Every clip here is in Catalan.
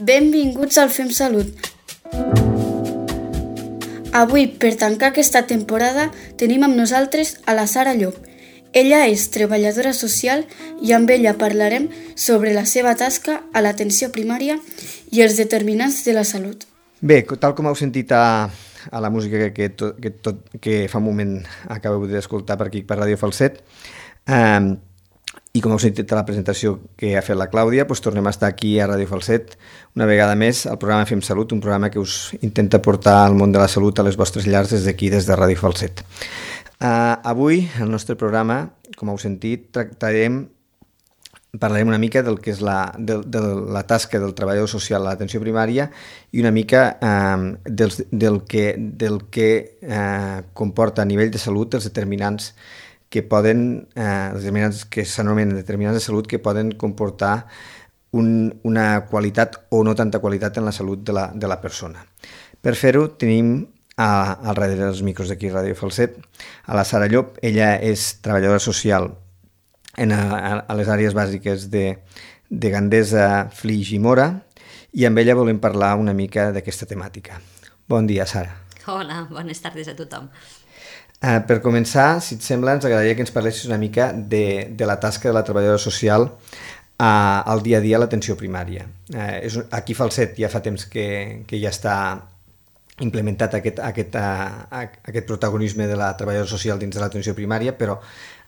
Benvinguts al Fem Salut. Avui, per tancar aquesta temporada, tenim amb nosaltres a la Sara Llop. Ella és treballadora social i amb ella parlarem sobre la seva tasca a l'atenció primària i els determinants de la salut. Bé, tal com heu sentit a la música que fa un moment acabeu d'escoltar per aquí per Ràdio Falset, i com heu sentit a la presentació que ha fet la Clàudia, doncs tornem a estar aquí a Ràdio Falset una vegada més al programa Fem Salut, un programa que us intenta portar al món de la salut a les vostres llars des d'aquí, des de Ràdio Falset. Avui, al nostre programa, com heu sentit, parlarem una mica del que és de la tasca del treballador social a l'atenció primària i una mica del que comporta a nivell de salut els determinants que s'anomenen determinants de salut que poden comportar una qualitat o no tanta qualitat en la salut de la persona. Per fer-ho tenim al darrere dels micros d'aquí a Ràdio Falset a la Sara Llop. Ella és treballadora social a les àrees bàsiques de Gandesa, Flix i Móra, i amb ella volem parlar una mica d'aquesta temàtica. Bon dia, Sara. Hola, bones tardes a tothom. Per començar, si et sembla, ens agradaria que ens parlessis una mica de la tasca de la treballadora social al dia a dia a l'atenció primària. Aquí a Falset ja fa temps que ja està implementat aquest protagonisme de la treballadora social dins de l'atenció primària, però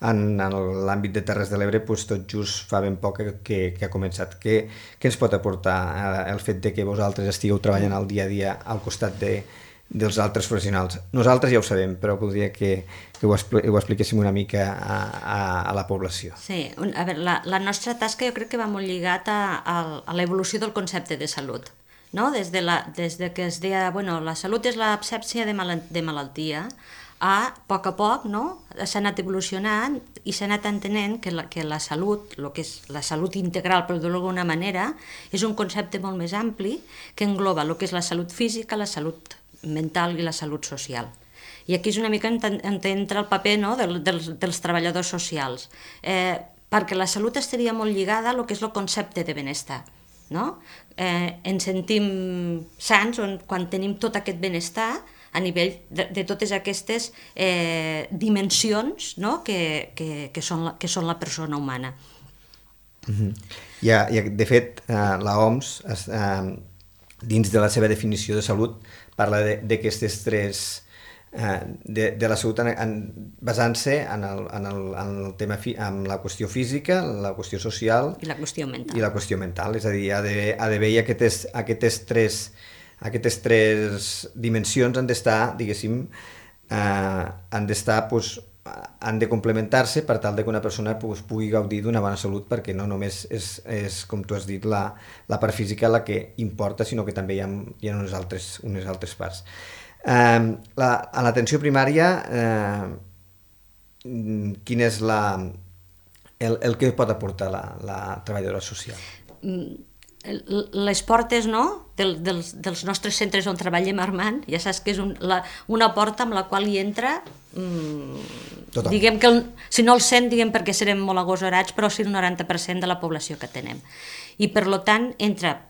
en l'àmbit de Terres de l'Ebre tot just fa ben poc que ha començat. Què ens pot aportar el fet de que vosaltres estigueu treballant al dia a dia al costat dels altres professionals? Nosaltres ja ho sabem, però voldria que ho expliquéssim una mica a la població. Sí, a veure, la nostra tasca jo crec que va molt lligat a l'evolució del concepte de salut. No? Des de que es deia, la salut és l'absència de malaltia, a poc, no? S'ha anat evolucionant i s'ha anat entenent que la salut, el que és la salut integral, per dir-ho d'alguna manera, és un concepte molt més ampli que engloba el que és la salut física, la salut mental i la salut social. I aquí és una mica on entra el paper, no? dels treballadors socials, perquè la salut estaria molt lligada a el que és el concepte de benestar. No? Ens sentim sants quan tenim tot aquest benestar a nivell de totes aquestes dimensions, no? que són la persona humana. De fet, l'OMS, dins de la seva definició de salut, parla d'aquestes tres de la salut basant-se en el tema en la qüestió física, la qüestió social i la qüestió mental. És a dir, ha d'haver aquestes tres dimensions han d'estar, diguéssim, han de complementar-se per tal que una persona pugui gaudir d'una bona salut, perquè no només és com tu has dit, la part física la que importa, sinó que també hi ha unes altres parts. A l'atenció primària, quin és el que pot aportar la treballadora social? Les portes, no? dels nostres centres on treballem, Armand, ja saps que és una porta amb la qual hi entra, diguem que si no el 100, diguem perquè serem molt agosarats, però sí el 90% de la població que tenem. I per tant entra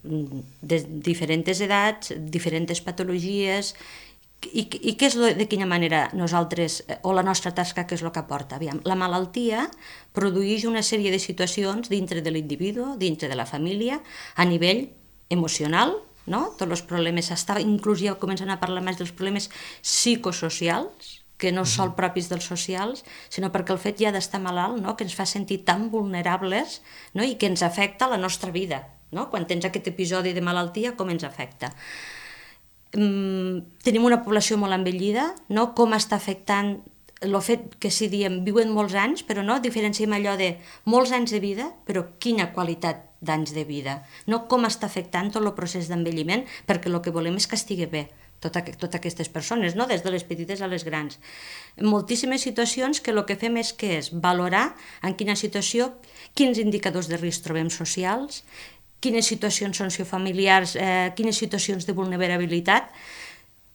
de diferents edats, diferents patologies, i què és de quina manera nosaltres, o la nostra tasca, què és el que aporta? Aviam, la malaltia produeix una sèrie de situacions dintre de l'individu, dintre de la família, a nivell emocional, no? Tots els problemes, inclús ja comencen a parlar més dels problemes psicosocials, que no són propis dels socials, sinó perquè el fet ja d'estar malalt, no? Que ens fa sentir tan vulnerables, no? I que ens afecta la nostra vida. No? Quan tens aquest episodi de malaltia, com ens afecta? Tenim una població molt envellida, no? Com està afectant el fet que si diem viuen molts anys, però no diferenciem allò de molts anys de vida, però quina qualitat d'anys de vida, no? Com està afectant tot el procés d'envelliment, perquè el que volem és que estigui bé totes aquestes persones, no? Des de les petites a les grans. En moltíssimes situacions que el que fem és valorar en quina situació, quins indicadors de risc trobem socials, quines situacions sociofamiliars, quines situacions de vulnerabilitat,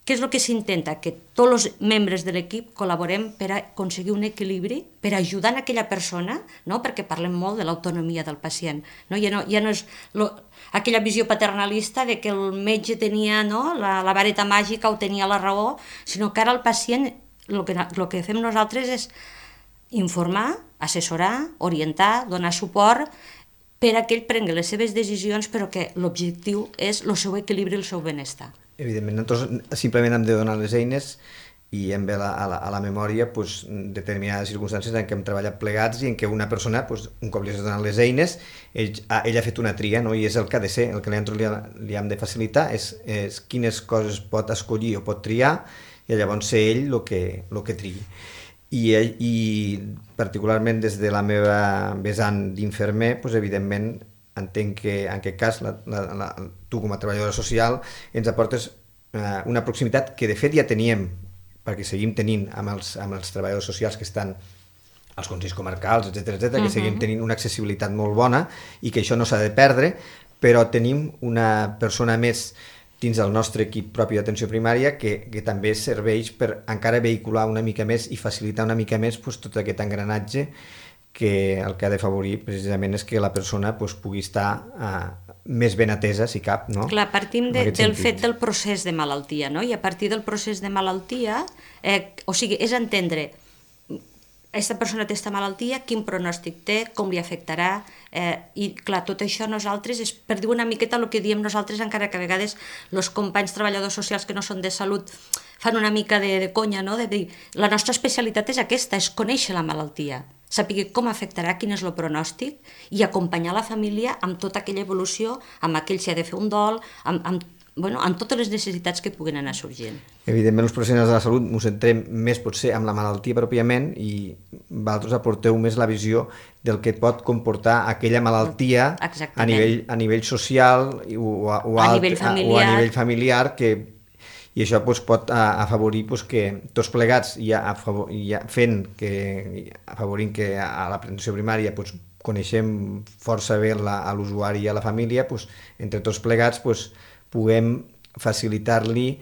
què és el que s'intenta? Que tots els membres de l'equip col·laborem per aconseguir un equilibri, per ajudar a aquella persona, no? Perquè parlem molt de l'autonomia del pacient. No? Ja no és aquella visió paternalista de que el metge tenia, no? la vareta màgica o tenia la raó, sinó que ara el pacient, el que fem nosaltres és informar, assessorar, orientar, donar suport per a que ell prengui les seves decisions, però que l'objectiu és el seu equilibri i el seu benestar. Evidentment, nosaltres simplement hem de donar les eines i hem ve a la memòria determinades circumstàncies en què hem treballat plegats i en què una persona, un cop li has donat les eines, ell ha fet una tria, no? I és el que ha de ser, el que li hem de facilitar és quines coses pot escollir o pot triar i llavors ser ell el que triï. I particularment des de la meva vessant d'infermer, evidentment, entenc que en aquest cas tu com a treballadora social ens aportes una proximitat que de fet ja teníem, perquè seguim tenint amb els treballadors socials que estan als consells comarcals, etc., que seguim tenint una accessibilitat molt bona i que això no s'ha de perdre, però tenim una persona més dins del nostre equip propi d'atenció primària que també serveix per encara vehicular una mica més i facilitar una mica més tot aquest engranatge que el que ha d'afavorir precisament és que la persona pugui estar més ben atesa, si cap, no? Clar, partim del fet del procés de malaltia, no? I a partir del procés de malaltia, és entendre aquesta persona té aquesta malaltia, quin pronòstic té, com li afectarà, i clar, tot això nosaltres és per dir una miqueta el que diem nosaltres, encara que a vegades els companys treballadors socials que no són de salut fan una mica de conya, no? De dir, la nostra especialitat és aquesta, és conèixer la malaltia, saber com afectarà, quin és el pronòstic i acompanyar la família amb tota aquella evolució, amb aquell si ha de fer un dol, amb totes les necessitats que puguin anar sorgint. Evidentment, els professionals de la salut ens centrem més potser amb la malaltia pròpiament i vosaltres aporteu més la visió del que pot comportar aquella malaltia a nivell social o a nivell familiar i això pot afavorir que tots plegats, afavorint que a la prevenció primària coneixem força bé a l'usuari i a la família, entre tots plegats puguem facilitar-li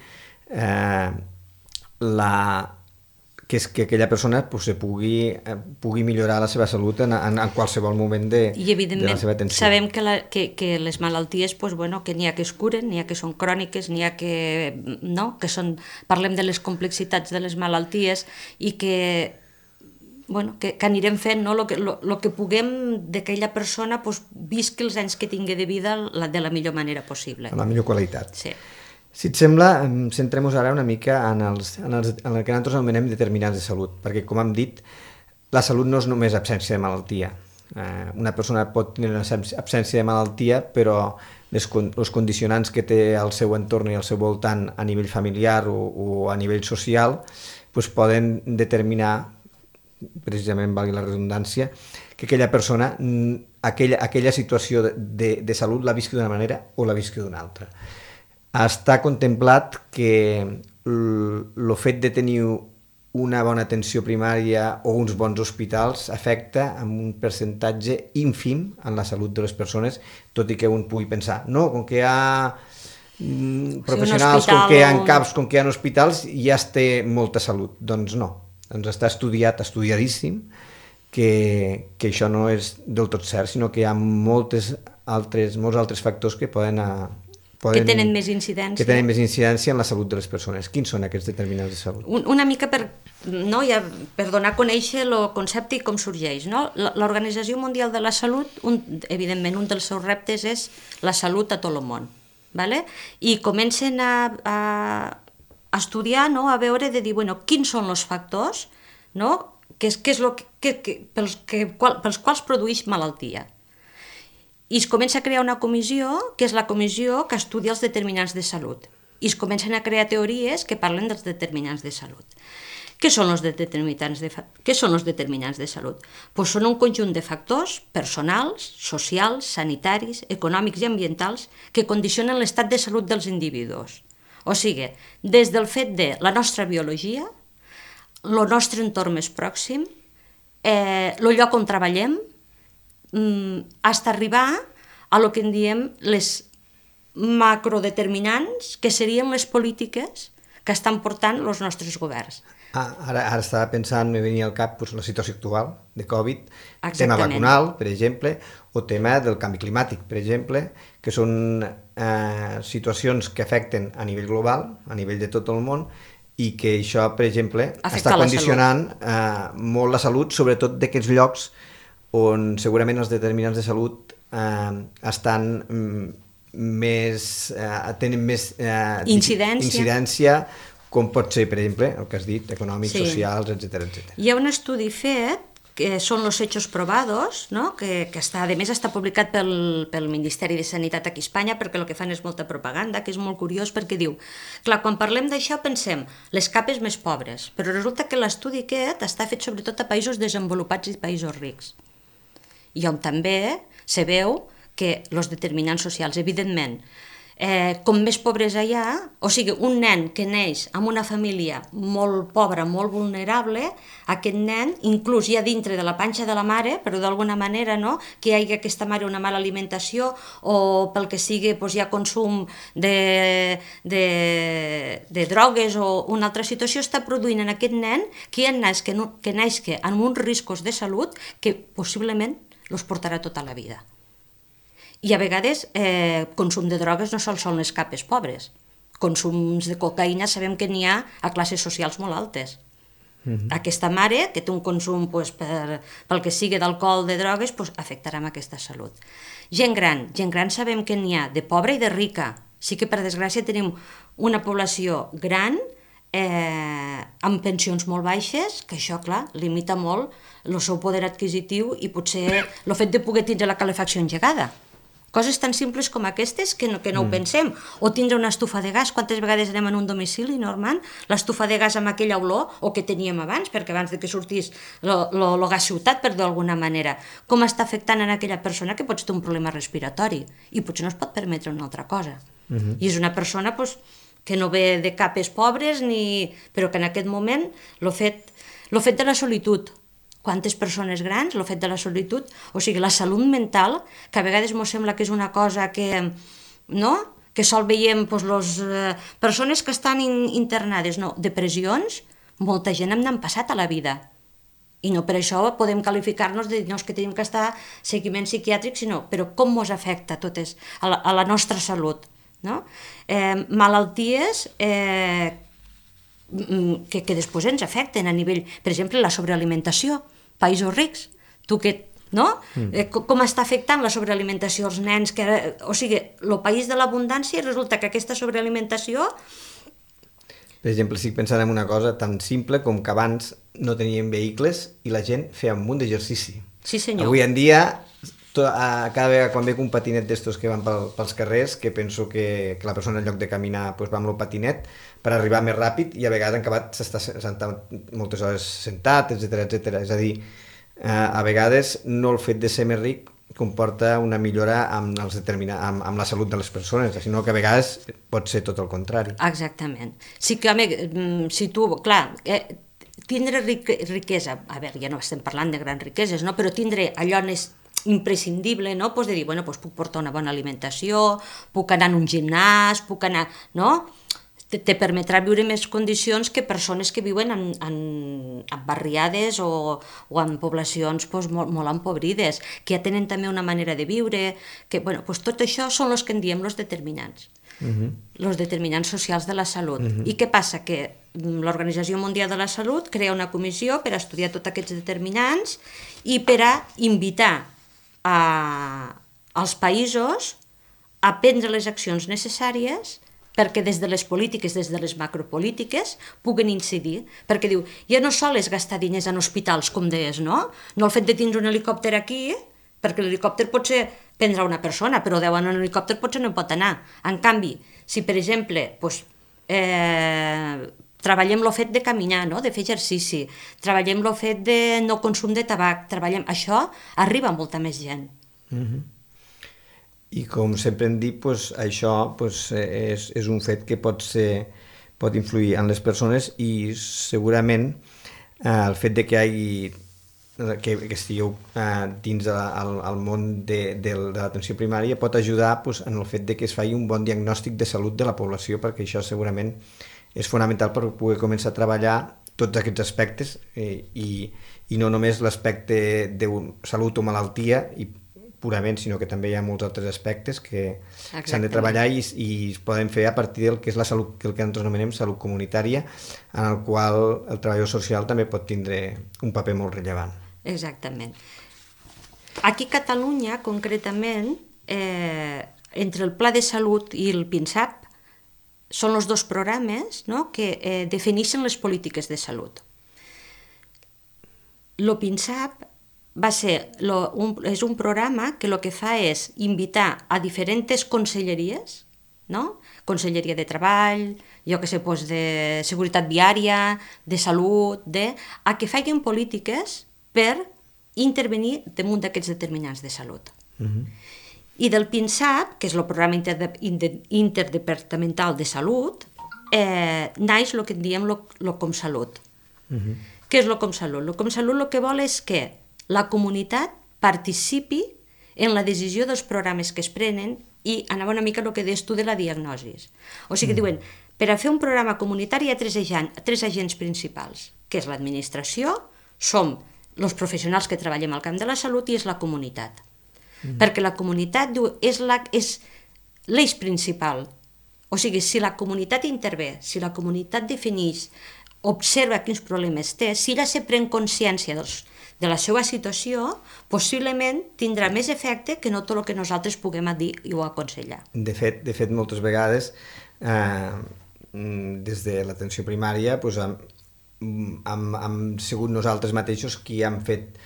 que aquella persona pugui millorar la seva salut en qualsevol moment de la seva atenció. I evidentment sabem que les malalties, que n'hi ha que es curen, n'hi ha que són cròniques, n'hi ha que parlem de les complexitats de les malalties i que anirem fent el que puguem d'aquella persona visqui els anys que tingui de vida de la millor manera possible. Amb la millor qualitat. Sí. Si et sembla, centrem-nos ara una mica en el que nosaltres anomenem determinants de salut, perquè, com hem dit, la salut no és només absència de malaltia. Una persona pot tenir una absència de malaltia, però els condicionants que té al seu entorn i al seu voltant a nivell familiar o a nivell social poden determinar, precisament valgui la redundància, que aquella persona, aquella situació de salut la visqui d'una manera o la visqui d'una altra. Està contemplat que el fet de tenir una bona atenció primària o uns bons hospitals afecta amb un percentatge ínfim en la salut de les persones, tot i que un pugui pensar, no, com que hi ha professionals, com que hi ha CAPs, com que hi ha hospitals, ja es té molta salut. Doncs no, està estudiadíssim, que això no és del tot cert, sinó que hi ha molts altres factors que que tenen més incidència en la salut de les persones. Quins són aquests determinants de salut? Una mica per donar a conèixer el concepte i com sorgeix. L'Organització Mundial de la Salut, evidentment, un dels seus reptes és la salut a tot el món. I comencen a estudiar, a veure, de dir, quins són els factors pels quals produeix malaltia. I es comença a crear una comissió, que és la comissió que estudia els determinants de salut. I es comencen a crear teories que parlen dels determinants de salut. Què són els determinants de salut? Són un conjunt de factors personals, socials, sanitaris, econòmics i ambientals que condicionen l'estat de salut dels individus. O sigui, des del fet de la nostra biologia, el nostre entorn més pròxim, el lloc on treballem, fins a arribar a el que en diem les macrodeterminants, que serien les polítiques que estan portant els nostres governs. Ara estava pensant, me venia al cap la situació actual de Covid, tema Exactament. vacunal, per exemple, o tema del canvi climàtic, per exemple, que són situacions que afecten a nivell global, a nivell de tot el món, i que això, per exemple, Afecta està condicionant molt la salut, sobretot d'aquests llocs on segurament els determinants de salut tenen més incidència, com pot ser, per exemple, el que has dit, econòmics, socials, etc. Hi ha un estudi fet, que són los hechos probados, no? que està, a més està publicat pel Ministeri de Sanitat aquí a Espanya, perquè el que fan és molta propaganda, que és molt curiós, perquè diu, clar, quan parlem d'això pensem les capes més pobres, però resulta que l'estudi aquest està fet sobretot a països desenvolupats i països rics, i on també se veu que els determinants socials, evidentment, com més pobresa hi ha, o sigui, un nen que neix en una família molt pobra, molt vulnerable, aquest nen, inclús ja dintre de la panxa de la mare, però d'alguna manera, no?, que hi hagi aquesta mare una mala alimentació o pel que sigui hi ha consum de drogues o una altra situació, està produint en aquest nen que naixi amb uns riscos de salut que possiblement els portarà tota la vida. I a vegades consum de drogues no sols són les capes pobres. Consums de cocaïna sabem que n'hi ha a classes socials molt altes. Aquesta mare que té un consum pel que sigui d'alcohol, de drogues, afectarà amb aquesta salut. Gent gran sabem que n'hi ha de pobra i de rica. Sí que per desgràcia tenim una població gran amb pensions molt baixes, que això, clar, limita molt el seu poder adquisitiu i potser el fet de poder tindre la calefacció engegada. Coses tan simples com aquestes que no ho pensem. O tindre una estufa de gas. Quantes vegades anem en un domicili, Norman, l'estufa de gas amb aquella olor, o que teníem abans, perquè abans que sortís el gas ciutat, per d'alguna manera, com està afectant en aquella persona que pot tenir un problema respiratori i potser no es pot permetre una altra cosa. I és una persona que no ve de capes pobres, però que en aquest moment el fet de la solitud, quantes persones grans, el fet de la solitud, o sigui, la salut mental, que a vegades ens sembla que és una cosa que sol veiem les persones que estan internades, depressions, molta gent n'han passat a la vida. I no per això podem qualificar-nos de dir que tenim que estar seguiment psiquiàtric, però com ens afecta totes a la nostra salut. Malalties que després ens afecten a nivell, per exemple, la sobrealimentació, països rics, com està afectant la sobrealimentació als nens, o sigui, el país de l'abundància, resulta que aquesta sobrealimentació... Per exemple, estic pensant en una cosa tan simple com que abans no teníem vehicles i la gent feia un munt d'exercici. Sí, senyor. Avui en dia, cada vegada quan veig un patinet d'estos que van pels carrers, que penso que la persona en lloc de caminar va amb el patinet per arribar més ràpid, i a vegades han acabat sentat moltes hores sentat, etc. És a dir, a vegades no el fet de ser més ric comporta una millora amb la salut de les persones, sinó que a vegades pot ser tot el contrari. Exactament. Sí que, home, si tu, clar, tindre riquesa, a veure, ja no estem parlant de grans riqueses, però tindre allò imprescindible, de dir, puc portar una bona alimentació, puc anar en un gimnàs, puc anar, te permetrà viure més condicions que persones que viuen en barriades o en poblacions molt empobrides, que ja tenen també una manera de viure, que, tot això són els que en diem els determinants. Els determinants socials de la salut. I què passa? Que l'Organització Mundial de la Salut crea una comissió per estudiar tots aquests determinants i per a invitar als països a prendre les accions necessàries perquè des de les polítiques, des de les macropolítiques, puguen incidir. Perquè diu, ja no sol és gastar diners en hospitals, com deies, no? No el fet de tindre un helicòpter aquí, perquè l'helicòpter potser prendrà una persona, però 10 en un helicòpter potser no pot anar. En canvi, si per exemple treballem el fet de caminar, de fer exercici, treballem el fet de no consum de tabac, això arriba a molta més gent. I com sempre hem dit, això és un fet que pot influir en les persones, i segurament el fet de que estigueu dins del món de l'atenció primària pot ajudar en el fet de que es faci un bon diagnòstic de salut de la població, perquè això segurament és fonamental per poder començar a treballar tots aquests aspectes i no només l'aspecte de salut o malaltia i purament, sinó que també hi ha molts altres aspectes que s'han de treballar i es poden fer a partir del que és la salut, que el que nosaltres anomenem salut comunitària, en el qual el treballador social també pot tindre un paper molt rellevant. Exactament. Aquí a Catalunya, concretament, entre el Pla de Salut i el PINSAP són els dos programes, no?, que defineixen les polítiques de salut. El PINSAP és un programa que el que fa és invitar a diferents conselleries, no? Conselleria de Treball, jo que sé, de Seguretat Viària, de Salut, a que facin polítiques per intervenir damunt d'aquests determinants de salut. I del PINSAP, que és el Programa Interdepartamental de Salut, naix el que en diem el ComSalut. Què és el ComSalut? El ComSalut el que vol és que la comunitat participi en la decisió dels programes que es prenen i anava una mica el que deies tu de la diagnosi. O sigui, diuen, per a fer un programa comunitari hi ha tres agents principals, que és l'administració, som els professionals que treballem al camp de la salut i és la comunitat. Perquè la comunitat és l'eix principal. O sigui, si la comunitat intervé, si la comunitat defineix, observa quins problemes té, si ella se pren consciència de la seva situació, possiblement tindrà més efecte que no tot el que nosaltres puguem dir i o aconsellar. De fet, moltes vegades, des de l'atenció primària, hem sigut nosaltres mateixos qui hem fet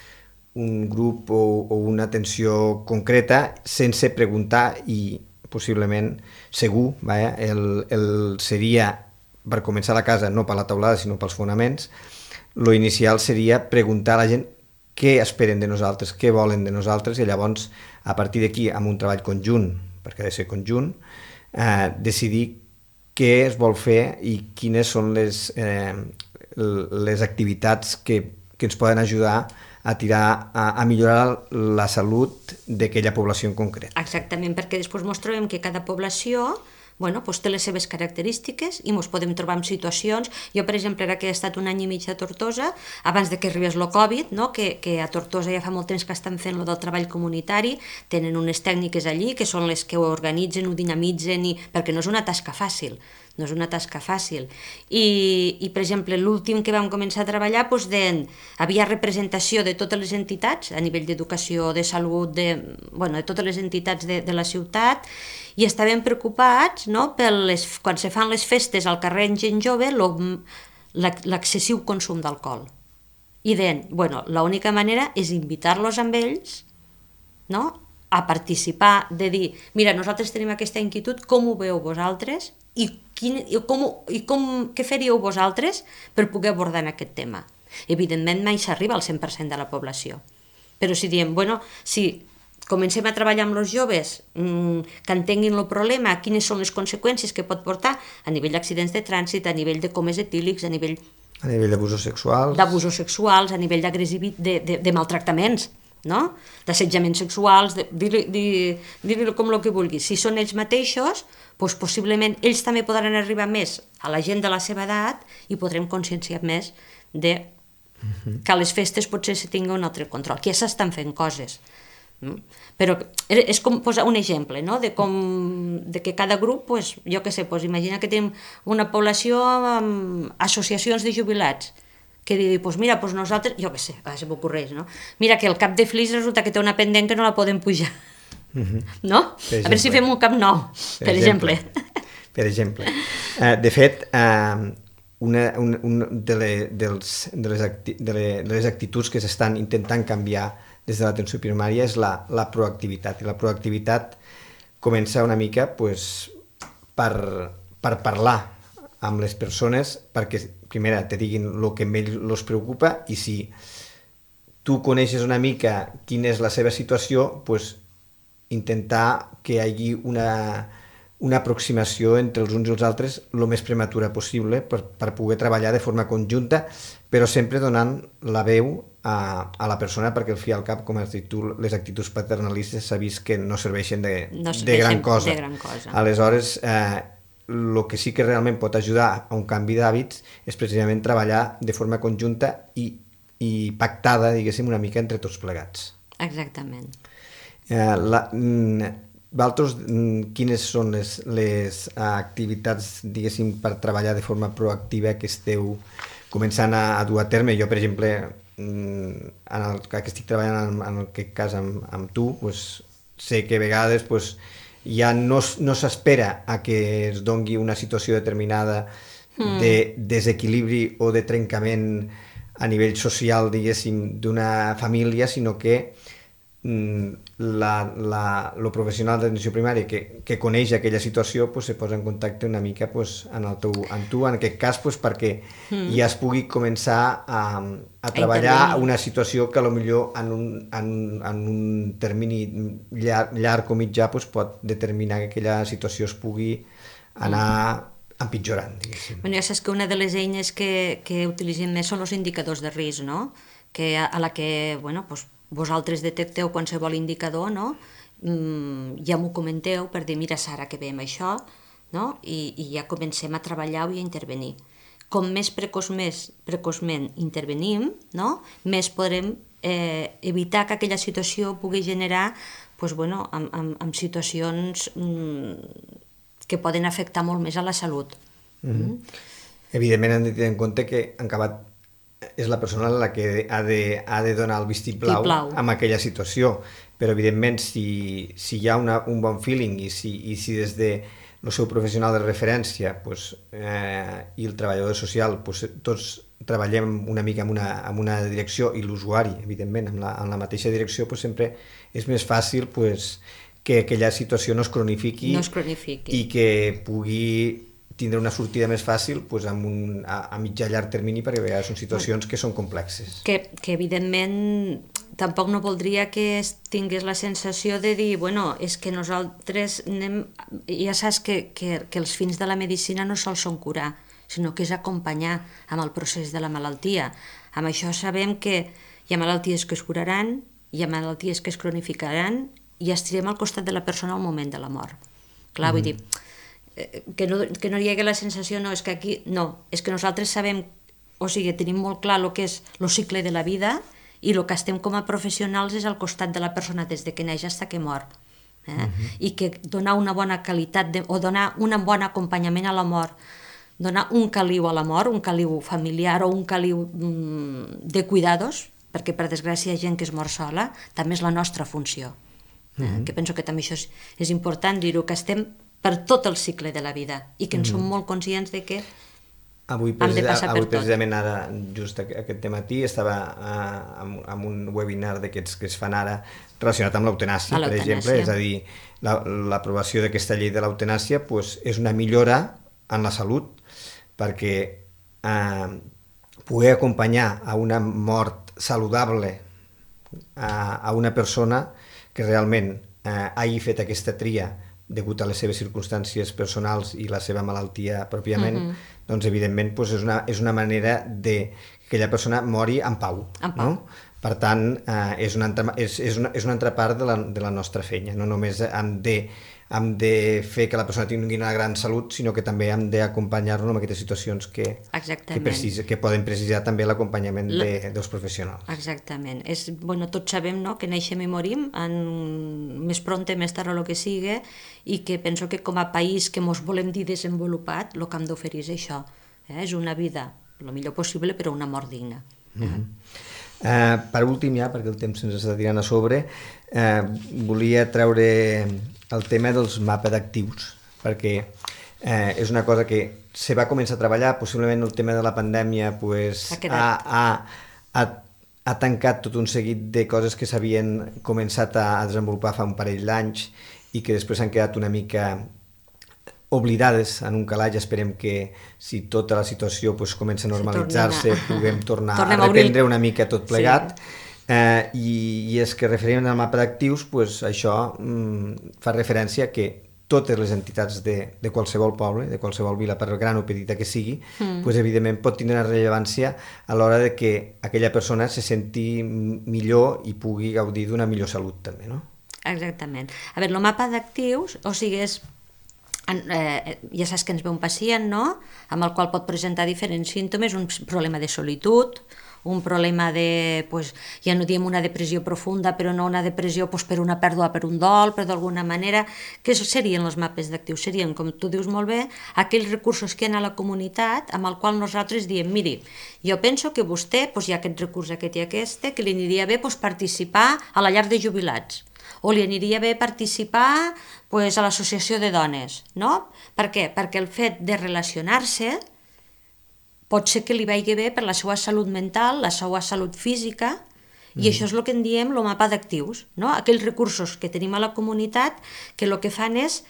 un grup o una atenció concreta sense preguntar i possiblement segur, seria, per començar la casa, no per la teulada sinó pels fonaments, lo inicial seria preguntar a la gent què esperen de nosaltres, què volen de nosaltres, i llavors, a partir d'aquí, amb un treball conjunt, perquè ha de ser conjunt, decidir què es vol fer i quines són les activitats que ens poden ajudar a millorar la salut d'aquella població en concret. Exactament, perquè després ens trobem que cada població té les seves característiques i ens podem trobar en situacions. Jo, per exemple, ara que he estat un any i mig a Tortosa, abans que arribés el Covid, que a Tortosa ja fa molt temps que estan fent del treball comunitari, tenen unes tècniques allí que són les que ho organitzen, ho dinamitzen, perquè no és una tasca fàcil. I per exemple, l'últim que vam començar a treballar, havia representació de totes les entitats, a nivell d'educació, de salut, de totes les entitats de la ciutat, i estàvem preocupats, quan se fan les festes al carrer en gent jove, l'excessiu consum d'alcohol. I deien, l'única manera és invitar-los amb ells, a participar, de dir, mira, nosaltres tenim aquesta inquietud, com ho veieu vosaltres i què faríeu vosaltres per poder abordar aquest tema. Evidentment mai s'arriba al 100% de la població, però si diem, si comencem a treballar amb els joves, que entenguin el problema, quines són les conseqüències que pot portar a nivell d'accidents de trànsit, a nivell de comes etílics, a nivell d'abusos sexuals, a nivell de maltractaments, d'assetjaments sexuals, dir-li com el que vulguis. Si són ells mateixos, possiblement ells també podran arribar més a la gent de la seva edat i podrem conscienciar més que a les festes potser se tingui un altre control, que ja s'estan fent coses. Però és com posar un exemple de que cada grup, jo què sé, imagina que tenim una població amb associacions de jubilats que digui, mira, nosaltres, jo què sé, se m'ocorreix, mira que el cap de Flix resulta que té una pendent que no la podem pujar, no? A veure si fem un cap nou, per exemple. Per exemple. De fet, una de les actituds que s'estan intentant canviar des de l'atenció primària és la proactivitat, i la proactivitat comença una mica per parlar amb les persones perquè, primera, te diguin el que a ells els preocupa, i si tu coneixes una mica quina és la seva situació, intentar que hi hagi una aproximació entre els uns i els altres el més prematura possible per poder treballar de forma conjunta, però sempre donant la veu a la persona, perquè al fi i al cap, com has dit tu, les actituds paternalistes s'ha vist que no serveixen de gran cosa. Aleshores, el que sí que realment pot ajudar a un canvi d'hàbits és precisament treballar de forma conjunta i pactada, diguéssim, una mica entre tots plegats. Exactament. Vosaltres, quines són les activitats, diguéssim, per treballar de forma proactiva que esteu començant a dur a terme? Jo, per exemple, en el que estic treballant en aquest cas amb tu, sé que a vegades ja no s'espera a que es dongui una situació determinada de desequilibri o de trencament a nivell social, diguéssim, d'una família, sinó que el professional d'atenció primària que coneix aquella situació se posa en contacte una mica amb tu, en aquest cas, perquè ja es pugui començar a treballar una situació que potser en un termini llarg o mitjà pot determinar que aquella situació es pugui anar empitjorant, diguéssim. Ja saps que una de les eines que utilitzem més són els indicadors de risc, no? Que a la que, vosaltres detecteu qualsevol indicador, no? Ja m'ho comenteu per dir, mira Sara, que veiem això, no? I ja comencem a treballar i a intervenir. Com més precoçment intervenim, no? Més podrem evitar que aquella situació pugui generar amb situacions que poden afectar molt més a la salut. Evidentment hem de tenir en compte que en acabat és la persona la que ha de donar el vistiplau en aquella situació, però evidentment si hi ha un bon feeling i si des del seu professional de referència i el treballador social tots treballem una mica en una direcció i l'usuari, evidentment, en la mateixa direcció, sempre és més fàcil que aquella situació no es cronifiqui i que pugui tindre una sortida més fàcil a mitjà llarg termini, perquè a vegades són situacions que són complexes. Que evidentment tampoc no voldria que tingués la sensació de dir, és que nosaltres anem... Ja saps que els fins de la medicina no sols són curar, sinó que és acompanyar amb el procés de la malaltia. Amb això sabem que hi ha malalties que es curaran, hi ha malalties que es cronificaran i estirem al costat de la persona al moment de la mort. Clar, vull dir... que no hi hagi la sensació, és que nosaltres sabem, tenim molt clar el que és el cicle de la vida i el que estem com a professionals és al costat de la persona des de que neix fins que mor. I que donar una bona qualitat o donar un bon acompanyament a la mort, donar un caliu a la mort, un caliu familiar o un caliu de cuidados, perquè per desgràcia hi ha gent que es mor sola, també és la nostra funció. Que penso que també això és important dir-ho, que estem per tot el cicle de la vida i que en som molt conscients de que hem de passar per tot. Avui precisament ara, just aquest matí, estava en un webinar d'aquests que es fan ara relacionat amb l'eutanàsia, per exemple, és a dir, l'aprovació d'aquesta llei de l'eutanàsia és una millora en la salut perquè poder acompanyar a una mort saludable a una persona que realment hagi fet aquesta tria degut a les seves circumstàncies personals i la seva malaltia pròpiament, doncs evidentment és una manera que aquella persona mori en pau. Per tant, és una altra part de la nostra feina. No només hem de fer que la persona tingui una gran salut, sinó que també hem d'acompanyar-lo en aquestes situacions que poden precisar també l'acompanyament dels professionals. Exactament. Tots sabem que neixem i morim, més prompte, més tard o el que sigui, i que penso que com a país que ens volem dir desenvolupat, el que hem d'oferir és això. És una vida el millor possible, però una mort digna. Per últim, ja, perquè el temps se'ns està tirant a sobre, volia treure el tema dels mapes d'actius, perquè és una cosa que se va començar a treballar, possiblement el tema de la pandèmia ha tancat tot un seguit de coses que s'havien començat a desenvolupar fa un parell d'anys i que després han quedat una mica oblidades en un calaix. Esperem que si tota la situació comença a normalitzar-se puguem tornar a reprendre una mica tot plegat. I és que referent al mapa d'actius, això fa referència que totes les entitats de qualsevol poble, de qualsevol vila, per gran o petita que sigui, evidentment pot tindre una rellevància a l'hora de que aquella persona se senti millor i pugui gaudir d'una millor salut també, no? Exactament. A veure, el mapa d'actius, és ja saps que ens ve un pacient, no?, amb el qual pot presentar diferents símptomes, un problema de solitud, un problema de, ja no diem una depressió profunda, però no una depressió per una pèrdua, per un dol, però d'alguna manera, què serien els mapes d'actius? Serien, com tu dius molt bé, aquells recursos que hi ha a la comunitat amb el qual nosaltres diem, miri, jo penso que vostè, hi ha aquest recurs, aquest i aquest, que li aniria bé participar a la llar de jubilats, o li aniria bé participar a l'associació de dones, no? Per què? Perquè el fet de relacionar-se pot ser que li vagi bé per la seva salut mental, la seva salut física, i això és el que en diem el mapa d'actius, no? Aquells recursos que tenim a la comunitat que el que fan és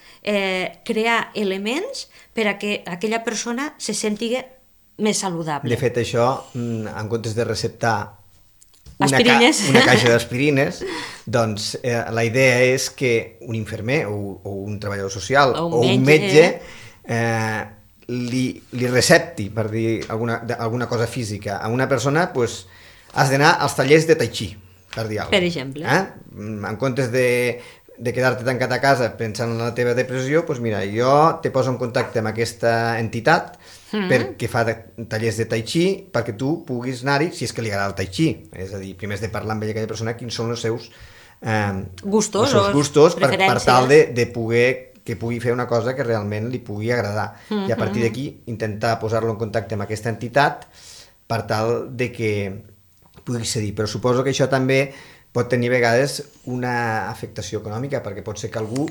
crear elements per a que aquella persona se senti més saludable. De fet, això, en comptes de receptar una caixa d'aspirines, doncs la idea és que un infermer o un treballador social o un metge li recepti, per dir alguna cosa física, a una persona, has d'anar als tallers de tai chi, per dir alguna cosa. Per exemple. En comptes de quedar-te tancat a casa pensant en la teva depressió, mira, jo te poso en contacte amb aquesta entitat perquè fa tallers de tai chi, perquè tu puguis anar-hi, si és que li agrada el tai chi. És a dir, primer has de parlar amb aquella persona quins són els seus gustos per tal de poder que pugui fer una cosa que realment li pugui agradar. I a partir d'aquí intentar posar-lo en contacte amb aquesta entitat per tal de que pugui cedir. Però suposo que això també pot tenir a vegades una afectació econòmica, perquè pot ser que algú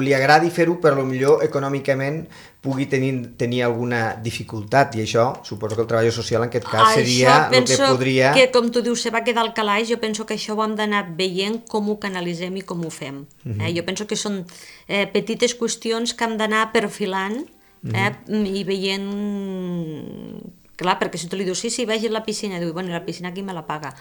li agradi fer-ho, però potser econòmicament pugui tenir alguna dificultat, i això suposo que el treball social en aquest cas seria el que podria... Que, com tu dius, se va quedar al calaix. Jo penso que això ho hem d'anar veient com ho canalitzem i com ho fem. Jo penso que són petites qüestions que hem d'anar perfilant i veient... Clar, perquè si tu li dius, sí, vagi a la piscina, diu, bueno, la piscina qui me la paga?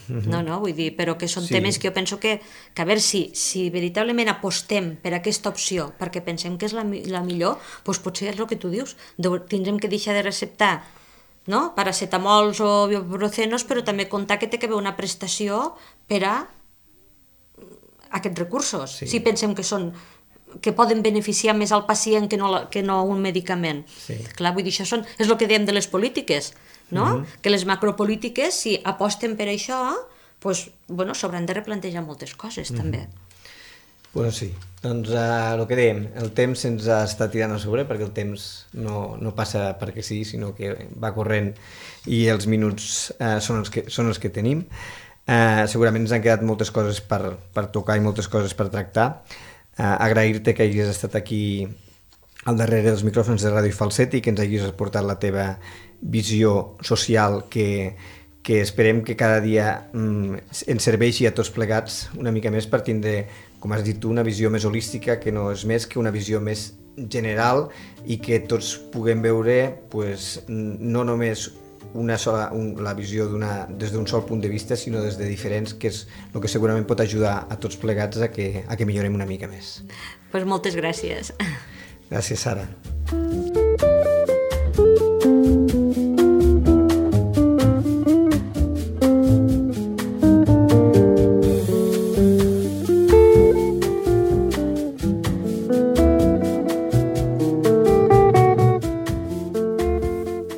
No, vull dir, però que són temes que jo penso que a veure, si veritablement apostem per aquesta opció, perquè pensem que és la millor, doncs potser és el que tu dius, tindrem que deixar de receptar paracetamols o ibuprofenos, però també comptar que té que haver una prestació per a aquests recursos, si pensem que poden beneficiar més al pacient que no un medicament. Clar, vull dir, això és el que diem de les polítiques, no? Que les macropolítiques, si aposten per això, s'hauran de replantejar moltes coses, també. Sí, doncs el que dèiem, el temps se'ns està tirant a sobre, perquè el temps no passa perquè sí, sinó que va corrent i els minuts són els que tenim. Segurament ens han quedat moltes coses per tocar i moltes coses per tractar. Agrair-te que hagis estat aquí al darrere dels micròfons de Ràdio Falset i que ens hagis aportat la teva visió social que esperem que cada dia ens serveixi a tots plegats una mica més per tindre, com has dit tu, una visió més holística, que no és més que una visió més general i que tots puguem veure no només la visió des d'un sol punt de vista, sinó des de diferents, que és el que segurament pot ajudar a tots plegats a que millorem una mica més. Moltes gràcies. Gràcies, Sara.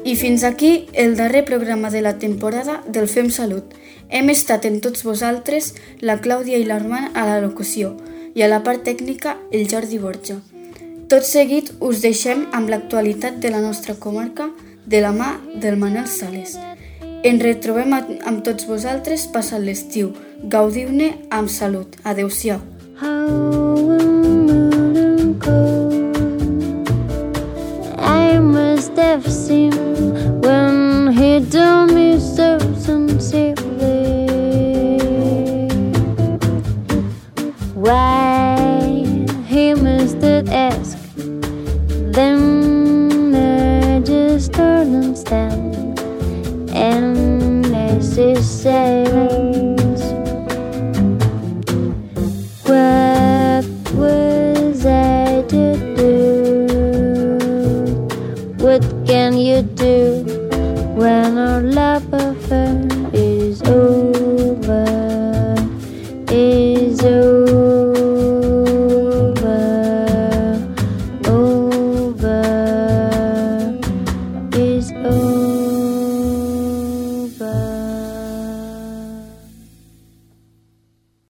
I fins aquí el darrer programa de la temporada del Fem Salut. Hem estat en tots vosaltres la Clàudia i l'Armand a la locució i a la part tècnica el Jordi Borja. Tot seguit us deixem amb l'actualitat de la nostra comarca de la mà del Manel Sales. Ens retrobem amb tots vosaltres passant l'estiu. Gaudiu-ne amb salut. Adéu-siau.